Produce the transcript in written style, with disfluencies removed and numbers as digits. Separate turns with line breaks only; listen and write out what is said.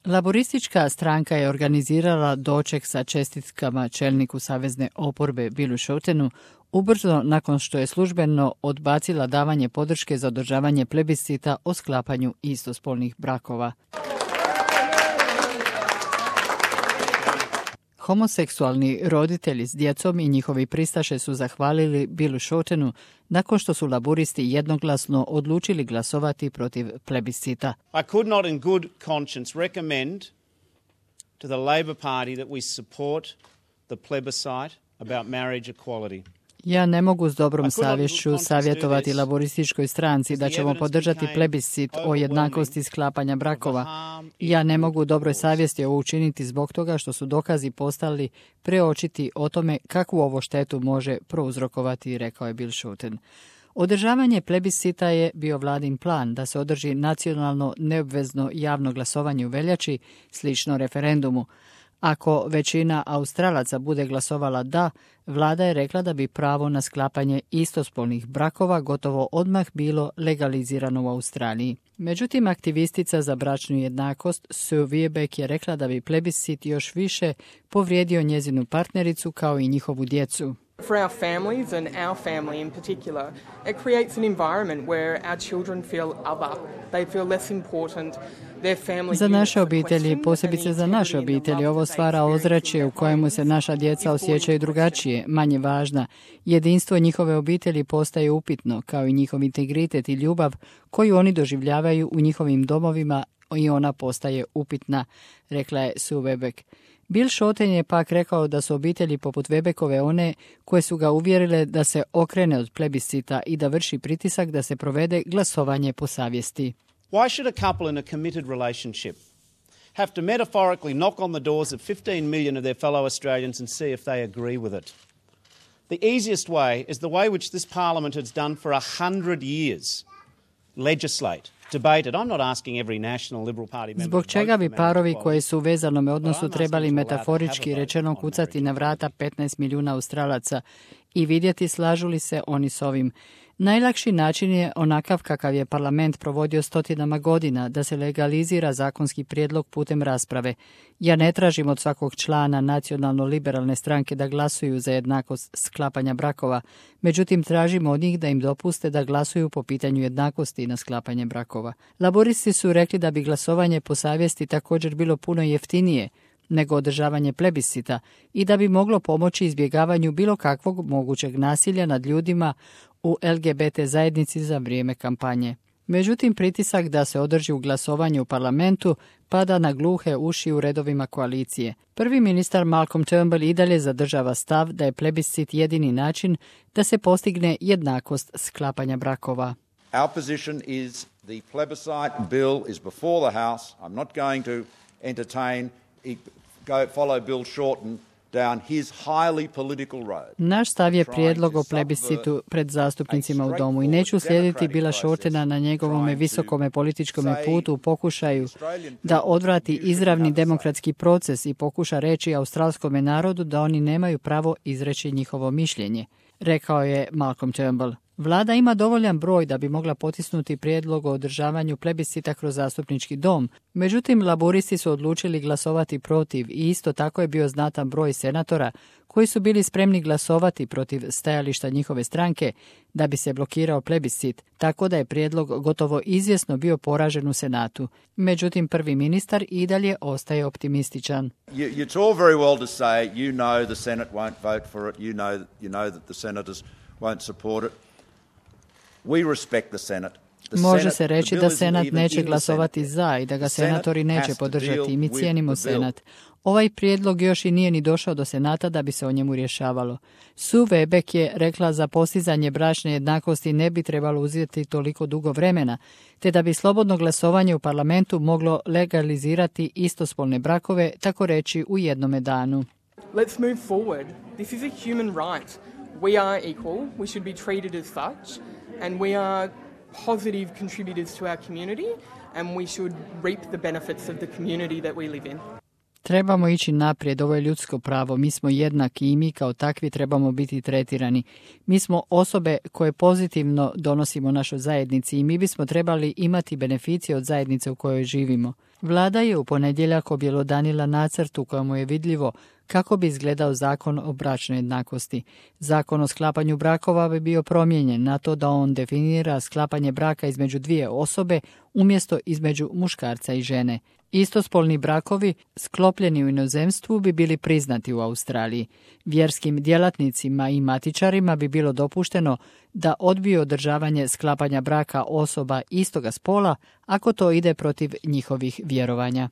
Laboristička stranka je organizirala doček sa čestitkama čelniku savezne oporbe Billu Shoutenu ubrzo nakon što je službeno odbacila davanje podrške za održavanje plebiscita o sklapanju istospolnih brakova. Homoseksualni roditelji s djecom i njihovi pristaše su zahvalili Billu Shoutenu nakon što su laburisti jednoglasno odlučili glasovati protiv plebiscita.
I could not in good conscience recommend to the Labor Party that we support the plebiscite about marriage equality.
Ja ne mogu s dobrom savješću savjetovati laborističkoj stranci da ćemo podržati plebiscit o jednakosti sklapanja brakova. Ja ne mogu u dobroj savjesti ovo učiniti zbog toga što su dokazi postali preočiti o tome kakvu ovo štetu može prouzrokovati, rekao je Bill Shouten. Održavanje plebiscita je bio vladin plan da se održi nacionalno neobvezno javno glasovanje u veljači, slično referendumu. Ako većina Australaca bude glasovala da, vlada je rekla da bi pravo na sklapanje istospolnih brakova gotovo odmah bilo legalizirano u Australiji. Međutim, aktivistica za bračnu jednakost Sue Wiebeck je rekla da bi plebiscit još više povrijedio njezinu partnericu kao i njihovu djecu.
For our families and our family in particular, it creates an environment where our children feel other. They feel less important.
Za naše obitelji, posebice za naše obitelji, ovo stvara ozračje u kojemu se naša djeca osjećaju drugačije, manje važna. Jedinstvo njihove obitelji postaje upitno, kao i njihov integritet i ljubav koju oni doživljavaju u njihovim domovima i ona postaje upitna, rekla je Sue Wiebeck. Bill Shouten je pak rekao da su obitelji poput Wiebeckove one koje su ga uvjerile da se okrene od plebiscita i da vrši pritisak da se provede glasovanje po savjesti.
Why should a couple in a committed relationship have to metaphorically knock on the doors of 15 million of their fellow Australians and see if they agree with it? The easiest way is the way which this parliament has done for 100 years. Legislate.
Zbog čega bi parovi koji su u vezanom odnosu trebali metaforički rečeno kucati na vrata 15 milijuna Australaca i vidjeti slažu li se oni s ovim? Najlakši način je onakav kakav je parlament provodio stotinama godina, da se legalizira zakonski prijedlog putem rasprave. Ja ne tražim od svakog člana nacionalno-liberalne stranke da glasuju za jednakost sklapanja brakova, međutim tražimo od njih da im dopuste da glasuju po pitanju jednakosti na sklapanje brakova. Laboristi su rekli da bi glasovanje po savjesti također bilo puno jeftinije nego održavanje plebiscita i da bi moglo pomoći izbjegavanju bilo kakvog mogućeg nasilja nad ljudima u LGBT zajednici za vrijeme kampanje. Međutim, pritisak da se održi u glasovanju u parlamentu pada na gluhe uši u redovima koalicije. Prvi ministar Malcolm Turnbull i dalje zadržava stav da je plebiscit jedini način da se postigne jednakost sklapanja brakova.
Our position is the plebiscite bill is before the House. I'm not going to entertain follow Bill Shorten down his highly political road.
Naš stav je prijedlog o plebiscitu pred zastupnicima u domu i neću slijediti Billa Shortena na njegovome visokome političkome putu u pokušaju da odvrati izravni demokratski proces i pokuša reći australskome narodu da oni nemaju pravo izreći njihovo mišljenje, rekao je Malcolm Turnbull. Vlada ima dovoljan broj da bi mogla potisnuti prijedlog o održavanju plebiscita kroz zastupnički dom. Međutim, laboristi su odlučili glasovati protiv i isto tako je bio znatan broj senatora koji su bili spremni glasovati protiv stajališta njihove stranke da bi se blokirao plebiscit, tako da je prijedlog gotovo izvjesno bio poražen u Senatu. Međutim, prvi ministar i dalje ostaje optimističan.
It's all very well to say, you know the Senate won't vote for it, you know that the senators won't support it. We respect the Senate.
Može se reći da Senat neće glasovati za i da ga senatori neće podržati i mi cijenimo Senat. Ovaj prijedlog još i nije ni došao do Senata da bi se o njemu rješavalo. Sue Wiebeck je rekla za postizanje bračne jednakosti ne bi trebalo uzeti toliko dugo vremena, te da bi slobodno glasovanje u parlamentu moglo legalizirati istospolne brakove, tako reći u jednome danu.
Let's move forward. This is a human right. We are equal. We should be treated as such. And we are positive contributors to our community, and we should reap the benefits of the community that we live in.
Trebamo ići naprijed, ovo je ljudsko pravo, mi smo jednaki i mi kao takvi trebamo biti tretirani. Mi smo osobe koje pozitivno donosimo našoj zajednici i mi bismo trebali imati beneficije od zajednice u kojoj živimo. Vlada je u ponedjeljak objelodanila nacrt u kojemu je vidljivo kako bi izgledao zakon o bračnoj jednakosti. Zakon o sklapanju brakova bi bio promijenjen na to da on definira sklapanje braka između dvije osobe umjesto između muškarca i žene. Istospolni brakovi sklopljeni u inozemstvu bi bili priznati u Australiji. Vjerskim djelatnicima i matičarima bi bilo dopušteno da odbiju održavanje sklapanja braka osoba istoga spola ako to ide protiv njihovih vjerovanja.